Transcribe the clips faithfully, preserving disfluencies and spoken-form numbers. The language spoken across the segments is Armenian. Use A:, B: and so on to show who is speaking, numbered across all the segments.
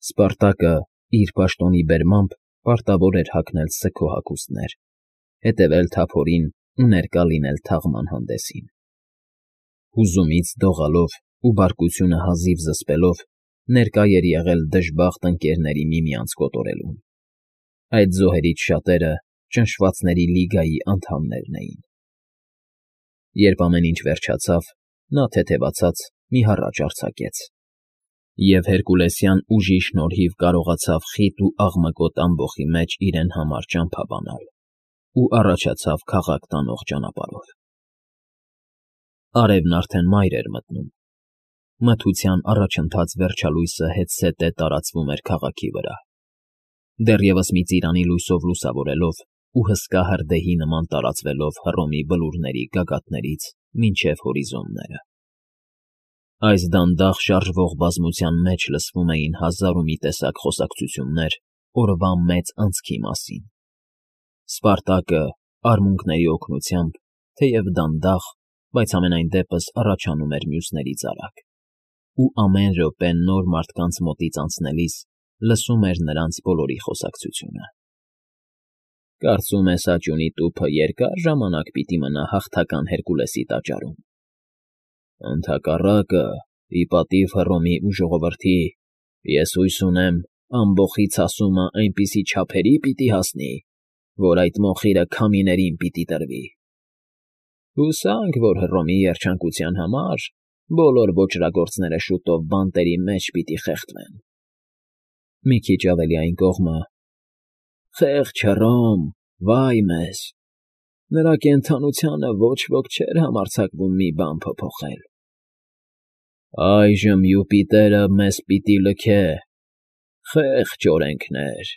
A: Սպարտակը, իր պաշտոնի բերմամբ, պարտավոր էր հագնել սգո հագուստներ, հետևել թափորին ու ներկա լինել թաղման հանդեսին։ Հուզումից դողալով ու բարկությունը հազիվ զսպելով ներկա էր եղել դժբախտ ընկներների միմյանց կոտորելուն։ Այդ զոհերից շատերը ճնշվածների լիգայի անդամներն էին։ Երբ ամեն ինչ վերջացավ, նա թեթևացած մի հառաչ արձակեց, և հերկուլեսյան ուժի շնորհիվ կարողացավ խիտ ու աղմկոտ ամբոխի մեջ իրեն համար ճամփա բանալ ու առաջացավ քաղաք տանող ճանապարհով։ Արևն արդեն մայր էր մտնում։ Մթության առաջընթաց վերջալույսը հետզհետե տարածվում էր քաղաքի վրա, դեռևս մի ծիրանի լույսով լուսավորելով ու հսկա հրդեհի նման տարածվելով Հռոմի բլուրների գագաթներից մինչև հորիզոնները։ Այս դանդաղ շարժվող բազմության մեջ լսվում էին հազար ու մի տեսակ խոսակցություններ օրվա մեծ անցքի մասին։ Սպարտակը, արմունկների օգնությամբ, թեև դանդաղ, բայց համենայն դեպս առաջանում էր մյուսներից արագ, ու ամեն րոպե նոր մարդկանց մոտից անցնելիս լսում էր նրանց բոլորի խոսակցությունը։ Կարծում ես աճյունի տուփը երկա՞ր ժամանակ պիտի մնա հաղթական Հերկուլեսի տաճարում։ Ընդհակառակը, ի պատիվ Հռոմի ու ժողովրդի, ես հույս ունեմ, ամբոխի ցասումը այնպիսի չափերի պիտի հասնի, որ այդ մոխիրը քամիներին պիտի տրվի։ Հուսանք, որ Հռոմի երջանկության համար բոլոր ոճրագործները շուտով բանտերի մեջ պիտի խեղդվեն։ Մի քիչ ավելի այն կողմը… Խեղճ Հռոմ, վայ մեզ… Նրա կենդանությանը ոչ ոք չէր համարձակվում մի բան փոփոխել։ Այժմ Յուպիտերը մեզ պիտի լքե… Խեղճ օրենքներ…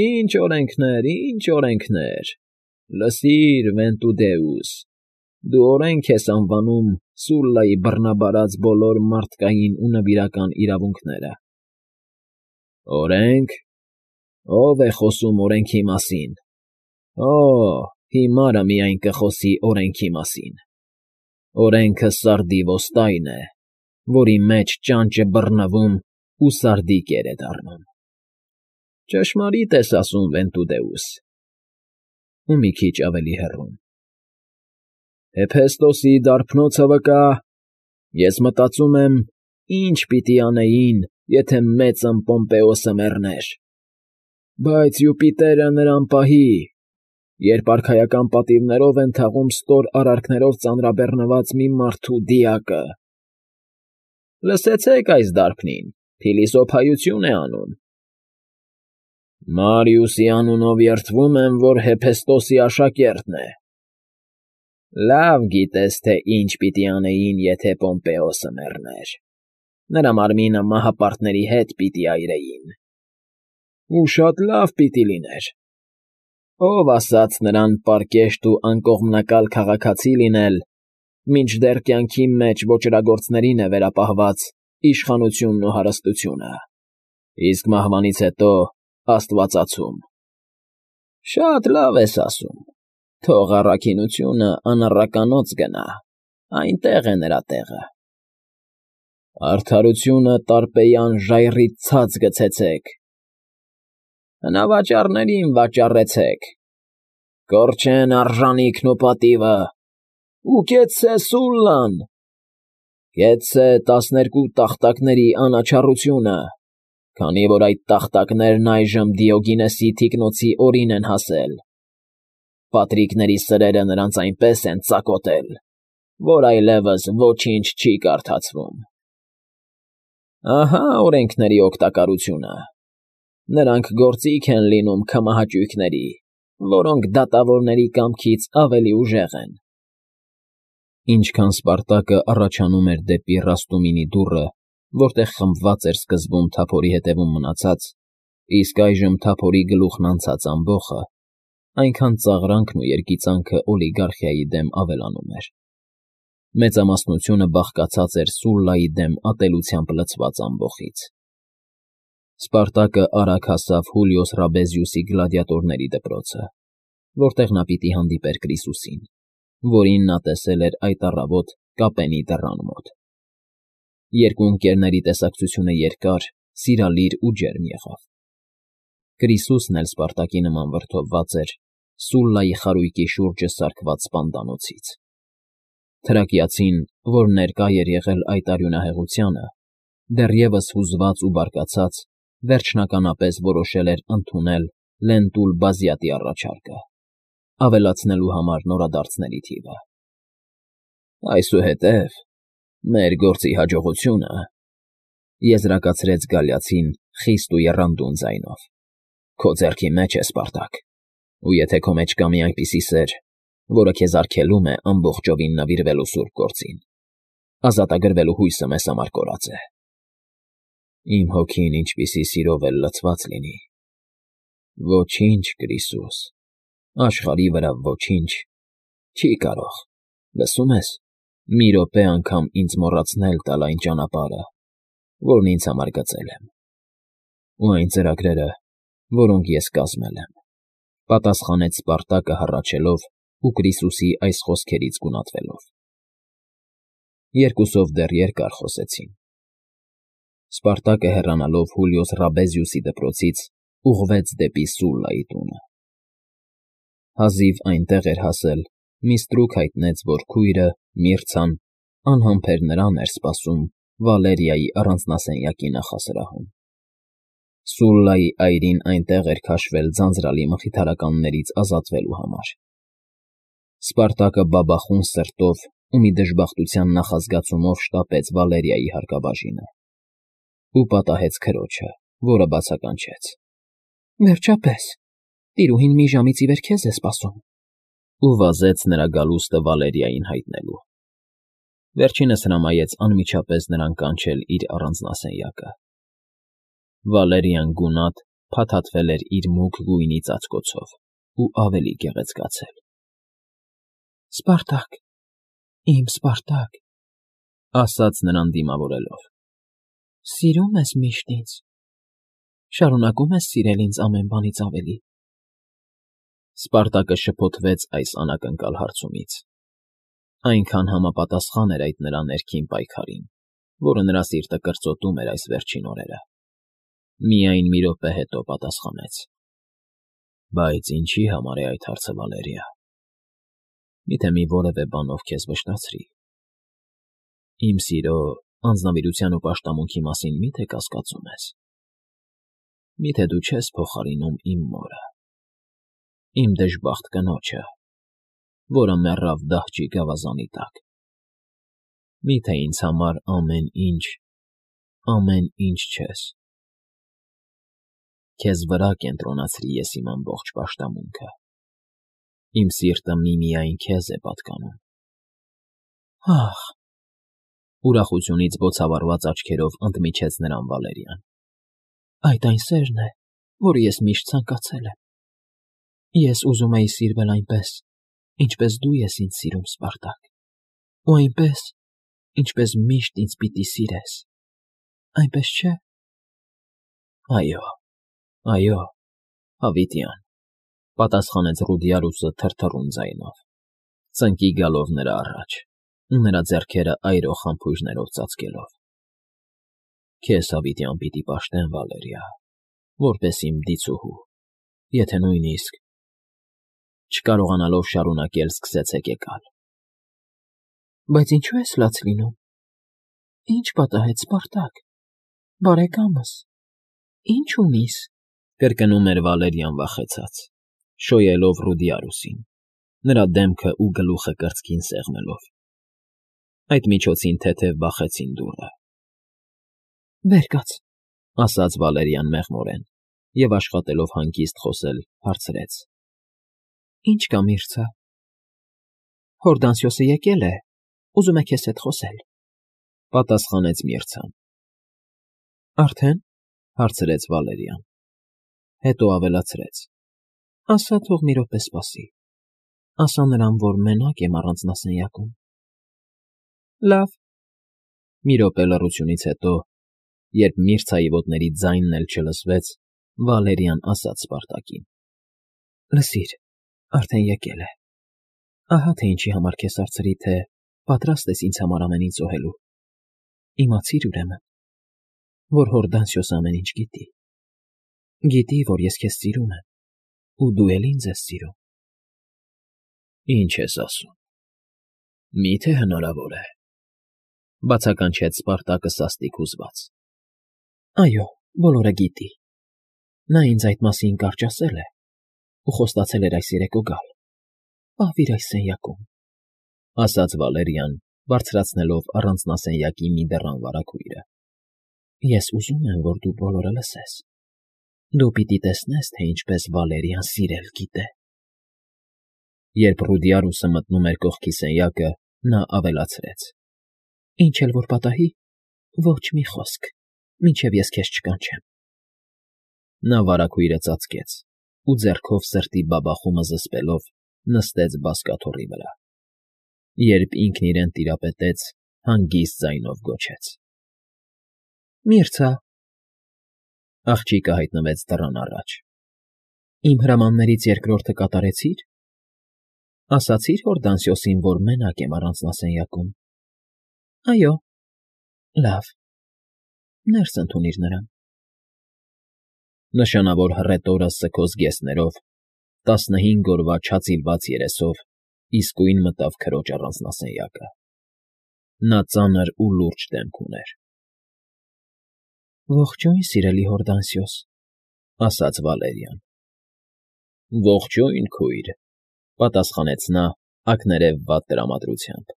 A: Ինչ օրենքներ, ինչ օրենքներ… Լսիր, Վենտուդեուս, դու օրենք ես անվանում Սուլլայի բռնաբարած բոլոր մարդկային ու նվիրական իրավունքները։ Օրենք… Ո՞վ է խոսում օրենքի մասին… Օ՜, հիմարը միայն կխոսի օրենքի մասին… Օրենքը սարդի ոստայն է, որի մեջ ճանճը բռնվում ու սարդի կեր է դառնում… Ճշմարիտ ես ասում, Վենտուդեուս… Ու մի քիչ ավելի հեռում… Հեփեստոսի դարբնոցը վկա… Ես մտածում եմ, ինչ պիտի անեին, եթե մեծն Պոմպեոսը մեռներ… Բայց Յուպիտերը նրան պահի, երբ արքայական պատիվներով են թաղում ստոր արարքներով ծանրաբեռնված մի մարդու դիակը… Լսեցեք այս դարբնին, փիլիսոփայություն է անում… Մարիուսի անունով երդվում եմ, որ Հեփեստոսի աշակերտն է… Լավ գիտես, թե ինչ պիտի անեին, եթե Պոմպեոսը մեռներ… Նրա մարմինը մահապարտների հետ պիտի այրեին… Ու շատ լավ պիտի լիներ… Ո՞վ ասաց նրան պարկեշտ ու անկողմնակալ քաղաքացի լինել, մինչդեռ կյանքի մեջ ոճրագործներին է վերապահված իշխանությունն ու հարստությունը, իսկ մահվանից հետո աստվածացում… Շատ լավ ես ասում… Թող առաքինությունը անառականոց գնա, այնտեղ է նրա տեղը… Արդարությունը տարպեյան ժայռից ցած գցեցեք… Հնավաճառներին վաճառեցեք… Կորչեն արժանիքն ու պատիվը… Ու կեցցե Սուլլան… Կեցցե տասներկու տախտակների անաչառությունը, քանի որ այդ տախտակներն այժմ Դիոգինեսի թիկնոցի օրին են հասել… Պատրիկների սրերը նրանց այնպես են ծակոտել, որ այլևս ոչինչ չի կարդացվում… Ահա օրենքների օգտակարությունը… Նրանք գործիք են լինում քմահաճույքների, որոնք դատավորների կամքից ավելի ուժեղ են… Ինչքան Սպարտակը առաջանում էր դեպի Ռաստումինի դուռը, որտեղ խմբված էր սկզբում թափորի հետևում մնացած, իսկ այժմ թափորի գլուխն անցած ամբոխը, այնքան ծաղրանքն ու երգիծանքը օլիգարխիայի դեմ ավելանում էր… Մեծամասնությունը բաղկացած էր Սուլլայի դեմ ատելությամբ լցված ամբոխից… Սպարտակը արագ հասավ Հուլիոս Ռաբեզիուսի գլադիատորների դպրոցը, որտեղ նա պիտի հանդիպեր Կրիսուսին, որին նա տեսել էր այդ առավոտ կապենի դռան մոտ… Երկու ընկերների տեսակցությունը երկար սիրալիր ու ջերմ եղավ։ Կրիսուսն էլ Սպարտակի նման վրդովված էր Սուլլայի խարույկի շուրջը սարքված սպանդանոցից։ Թրակիացին, որ ներկա էր եղել այդ արյունահեղությանը, դեռևս հուզված ու բարկացած, վերջնականապես որոշել էր ընդունել Լենտուլ Բազյատի առաջարկը, ավելացնելու համար նորադարձների թիվը։ «Այսուհետև մեր գործի հաջողությունը,֊ եզրակացրեց Գալիացին խիստ ու եռանդուն ձայնով,֊ քո ձեռքի մեջ է, Սպարտակ, ու եթե քո մեջ կա մի այնպիսի սեր, որը քեզ արգելում է ամբողջովին նվիրվելու սուրբ գործին, ազատագրվելու հույսը մեզ համար կորած է։ Իմ հոգին ինչպիսի սիրով էլ լցված լինի, ոչինչ, Կրիսուս, աշխարհի վրա ոչինչ չի կարող, լսո՞ւմ ես, մի րոպե անգամ ինձ մոռացնել տալ այն ճանապարհը, որն ինձ համար գծել եմ, ու այն ծրագրերը, որոնք ես կազմել եմ,֊ պատասխանեց Սպարտակը հառաչելով ու Կրիսուսի այս խոսքերից գունատվելով։ Երկուսով դեռ երկար խոսեցին։ Սպարտակը հեռանալով Հուլիոս Ռաբեզիուսի դպրոցից ուղղվեց դեպի Սուլլայի տունը։ Հազիվ այնտեղ էր հասել, մի ստրուկ հայտնեց, որ քույրը՝ Միրցան, անհամբեր նրան էր սպասում Վալերիայի առանձնասենյակի նախասրահում։ Սուլլայի այրին այնտեղ էր քաշվել ձանձրալի մխիթարականներից ազատվելու համար։ Սպարտակը բաբախուն սրտով ու մի դժբախտության նախազգացումով շտապեց Վալերիայի հարկաբաժինը ու պատահեց քրոջը, որը բացականչեց. «Վերջապես, տիրուհին մի ժամից ի վեր քեզ է սպասում,֊ ու վազեց նրա գալուստը Վալերիային հայտնելու։ Վերջինս հրամայեց անմիջապես նրան կանչել իր առանձնասենյակը։ Վալերիան գունատ փաթաթվել էր իր մուգ գույնի ծածկոցով ու ավելի գեղեցկացել։ «Սպարտակ, իմ Սպարտակ,֊ ասաց նրան դիմավորելով,֊ սիրո՞ւմ ես միշտ ինձ, շարունակո՞ւմ ես սիրել ինձ ամեն բանից ավելի»։ Սպարտակը շփոթվեց այս անակնկալ հարցումից։ Այնքան համապատասխան էր այդ նրա ներքին պայքարին, որը նրա սիրտը կրծոտում էր այս վերջին օրերը։ Միայն մի րոպե հետո պատասխանեց. «Բայց ինչի՞ համար է այդ հարցը, Վալերիա։ Միթե մի որևէ բանով քեզ վշտացրի՞։ Իմ սիրո, անձնավորության ու պաշտամունքի մասին մի՞թե կասկածում ես։ Միթե դու չես փոխարինում իմ մորը, իմ դժբախտ կնոջը, որը մեռավ դահճի գավազանի տակ։ Միթե ինձ համար ամեն ինչ, ամեն ինչ չես։ Քեզ վրա կենտրոնացրի ես իմ ամբողջ պաշտամունքը։ Իմ սիրտը միմիայն քեզ է պատկանում»։ «Ախ…֊ ուրախությունից բոցավառված աչքերով ընդմիջեց նրան Վալերիան,֊ այդ այն սերն է, որը ես միշտ ցանկացել եմ։ Ես ուզում էի սիրվել այնպես, ինչպես դու ես ինձ սիրում, Սպարտակ, ու այնպես, ինչպես միշտ ինձ պիտի սիրես, այնպես չէ՞։ Այո, այո, հավիտյան,֊ պատասխանեց Ռուդիարուսը թրթռուն ձայնով, ծնկի գալով նրա առաջ ու նրա ձեռքերը այրող համբույրներով ծածկելով։ Քեզ հավիտյան պիտի պաշտեմ, Վալերիա, որպես իմ դիցուհու, եթե նույնիսկ…» Չկարողանալով շարունակել, սկսեց հեկեկալ։ «Բայց ինչո՞ւ ես լաց լինում։ Ի՞նչ պատահեց, Սպարտակ, բարեկամս, ի՞նչ ունիս,֊ կրկնում էր Վալերիան վախեցած, շոյելով Ռուդիարուսին, նրա դեմքը ու գլուխը կրծքին սեղմելով։ Այդ միջոցին թեթև բախեցին դուռը։ «Վեր կաց,֊ ասաց Վալերիան մեղմորեն և, աշխատելով հանգիստ խոսել, հարցրեց,֊ Ի՞նչ կա, Միրցա։ Հորդանսիոսը եկել է, ուզում է քեզ հետ խոսել,֊ պատասխանեց Միրցան։ «Արդեն,֊ հարցրեց Վալերիան, հետո ավելացրեց,֊ ասա թող մի րոպե սպասի, ասա նրան, որ մենակ եմ առանձնասենյակում»։ «Լավ,֊ մի րոպե լռությունից հետո, երբ Միրցայի ոտների ձայնն էլ չլսվեց, Վալերիան ասաց Սպարտակին,֊ Լսիր, արդեն եկել է։ Ահա թե ինչի համար քեզ հարցրի, թե պատրաստ ես ինձ համար ամեն ինչ զոհելու։ Իմացիր, ուրեմն, որ Հորդանսիոս ամեն ինչ գիտի։ Գիտի, որ ես քեզ սիրում եմ, ու դու էլ ինձ ես սիրում։ Ինչ ես ասում։ Մի՞թե հնարավոր է,֊ բացականչեց Սպարտակը սաստիկ հուզված։ Այո, բոլորը գիտի։ Նա ինձ այդ մասին կարճ ասել է ու խոստացել էր այս երեկո գալ։ Պահվիր այս սենյակում,֊ ասաց Վալերիան, բարձրացնելով առանձնասենյակի մի դռան վարագույրը։ Ես ուզում եմ, որ դու բոլորը լսես։ Դու պիտի տեսնես, թե ինչպես Վալերիան սիրել գիտե։ Երբ Ռուդիարուսը մտնում էր կողքի սենյակը, նա ավելացրեց. Ինչ էլ որ պատահի, ոչ մի խոսք, մինչև ես քեզ չկանչեմ։ Նա վարագույրը ծածկեց ու ձեռքով սրտի բաբախումը զսպելով նստեց բազկաթոռի վրա։ Երբ ինքն իրեն տիրապետեց, հանգիստ ձայնով գոչեց. Միրցա… Աղջիկը հայտնվեց դռան առաջ։ Իմ հրամաններից երկրորդը կատարեցի՞ր։ Ասացի՞ր Հորդանսիոսին, որ մենակ եմ առանձնասենյակում։ Այո։ Լավ, ներս ընդունիր նրան։ Նշանավոր հռետորը սգոս գեստներով, տասնհինգ օրվա չածիլված երեսով իսկույն մտավ քրոջ առանձնասենյակը։ Նա ծանր ու լուրջ դեմք ուներ։ Ողջույն, սիրելի Հորդանսիոս,֊ ասաց Վալերիան։ Ողջույն, քույր,֊ պատասխանեց նա ակներևված տրամադրությամբ։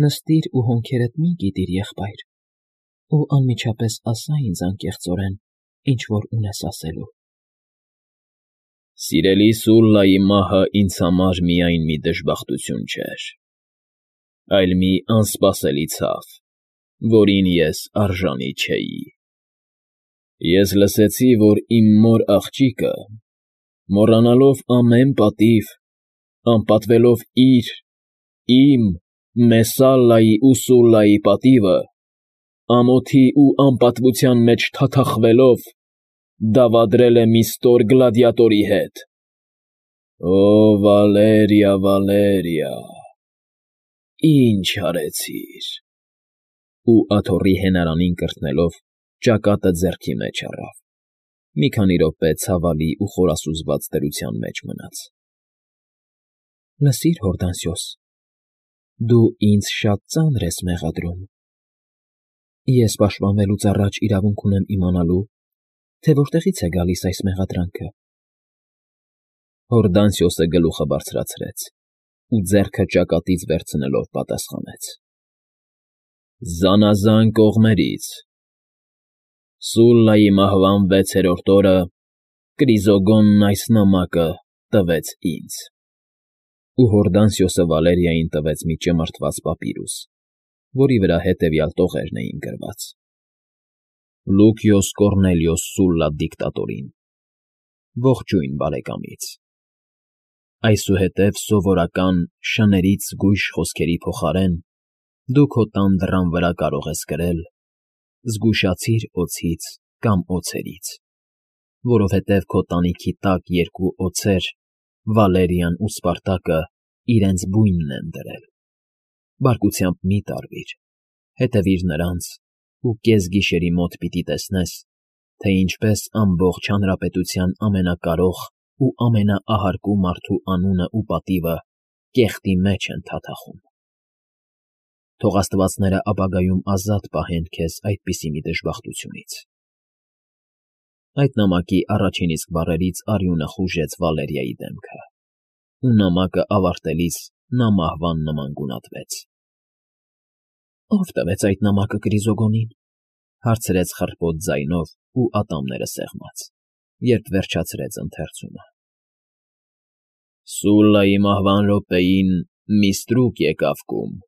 A: Նստիր ու հոնքերդ մի գիտիր, եղբայր, ու անմիջապես ասա ինձ անկեղծորեն, ինչ որ ունես ասելու։ Սիրելի Սուլլայի մահը ինձ համար միայն մի դժբախտություն չէր, այլ մի անսպասելի ցավ, որին ես արժանի չէի։ Ես լսեցի, որ իմ մոր աղջիկը, մոռանալով ամեն պատիվ, անպատվելով իր, իմ, Մեսալլայի ու Սուլլայի պատիվը, ամոթի ու անպատվության մեջ թաթախվելով, դավադրել է մի ստոր գլադիատորի հետ։ Օ, Վալերիա, Վալերիա, ինչ արեցիր… Ու աթոռի հենարանին կրթնելով, ճակատը ձեռքի մեջ առավ։ Մի քանի րոպե ցավալի ու խորասուզված դրության մեջ մնաց։ Լսիր, Հորդանսիոս, դու ինձ շատ ծանր ես մեղադրում։ Ես պաշտպանվելուց առաջ իրավունք ունեմ իմանալու, թե որտեղից է գալիս այս մեղադրանքը։ Հորդանսիոսը գլուխը բարձրացրեց ու ձեռքը ճակատից վերցնելով պատասխանեց. Զանազան կողմերից… Սուլլայի մահվան վեցերորդ օրը Կրիզոգոնն այս նամակը տվեց ինձ։ Ու Հորդանսիոսը Վալերիային տվեց մի ճմրթված պապիրուս, որի վրա հետևյալ տողերն էին գրված. Լուկիոս Կոռնելիոս Սուլլա դիկտատորին, ողջույն բարեկամից։ Այսուհետև սովորական շներից զգույշ խոսքերի փոխարեն դու քո տան դռան վրա կարող ես գրել. «Զգուշացիր օձից կամ օձերից», որովհետև քո տանիքի տակ երկու օձեր, Վալերիան ու Սպարտակը, իրենց բույնն են դրել։ Բարկությամբ մի տարվիր, հետևիր նրանց ու կեսգիշերի մոտ պիտի տեսնես, թե ինչպես ամբողջ հանրապետության ամենակարող ու ամենաահարկու մարդու անունը ու պատիվը կեղտի մեջ են թաթախում։ Թող աստվածները ապագայում ազատ պահեն քեզ այդպիսի մի դժբախտությունից։ Այդ նամակի առաջին իսկ բառերից արյունը խուժեց Վալերիայի դեմքը, ու նամակը ավարտելիս նա մահվան նման գունատվեց։ Ո՞վ տվեց այդ նամակը Կրիզոգոնին,֊ հարցրեց խռպոտ ձայնով ու ատամները սեղմած, երբ վերջացրեց ընթերցումը։ Սուլլայի մահվան րոպեին մի ստրուկ եկավ կում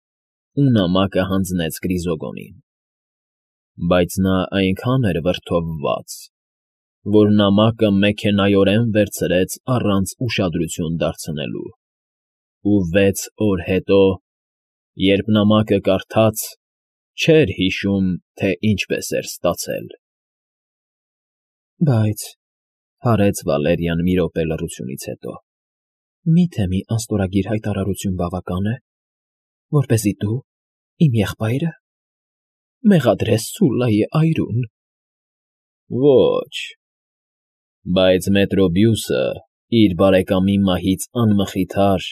A: ու նամակը հանձնեց Կրիզոգոնին, բայց նա այնքան էր վրդովված, որ նամակը մեքենայորեն վերցրեց առանց ուշադրություն դարձնելու, ու վեց օր հետո, երբ նամակը կարդաց, չէր հիշում, թե ինչպես էր ստացել։ Բայց,֊ հարեց Վալերիան մի րոպե լռությունից հետո,֊ մի՞թե մի անստորագիր հայտարարություն բավական է, որպեսզի դու, իմ եղբայրը, Մեղադրես Սուլլայի այրուն։ Ոչ, բայց Մետրոբիուսը իր բարեկամի մահից անմխիթար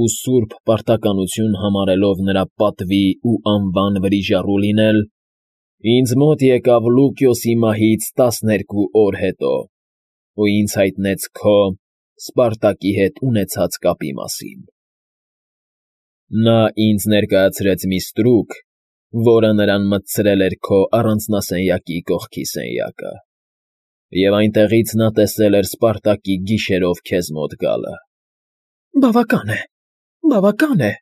A: ու սուրբ պարտականություն համարելով նրա պատվի ու անվան վրիժառու լինել, ինձ մոտ եկավ Լուկիոսի մահից տասներկու օր հետո ու ինձ հայտնեց քո՝ Սպարտակի հետ ունեցած կապի մասին. նա ինձ ներկայացրեց մի ստրուկ, որը նրան մտցրել էր քո առանձնասենյակի կողքի սենյակը, և այնտեղից նա տեսել էր Սպարտակի գիշերով քեզ մոտ գալը։ ֊ Բավական է, բավական է,֊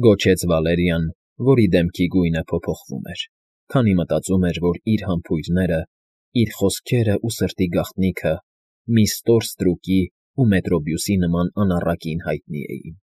A: գոչեց Վալերիան, որի դեմքի գույնը փոփոխվում էր, քանի մտածում էր, որ իր համբույրները, իր խոսքերն ու սրտի գաղտնիքը մի ստոր ստրուկի ու Մետրոբիուսի նման անառակին հայտնի էին։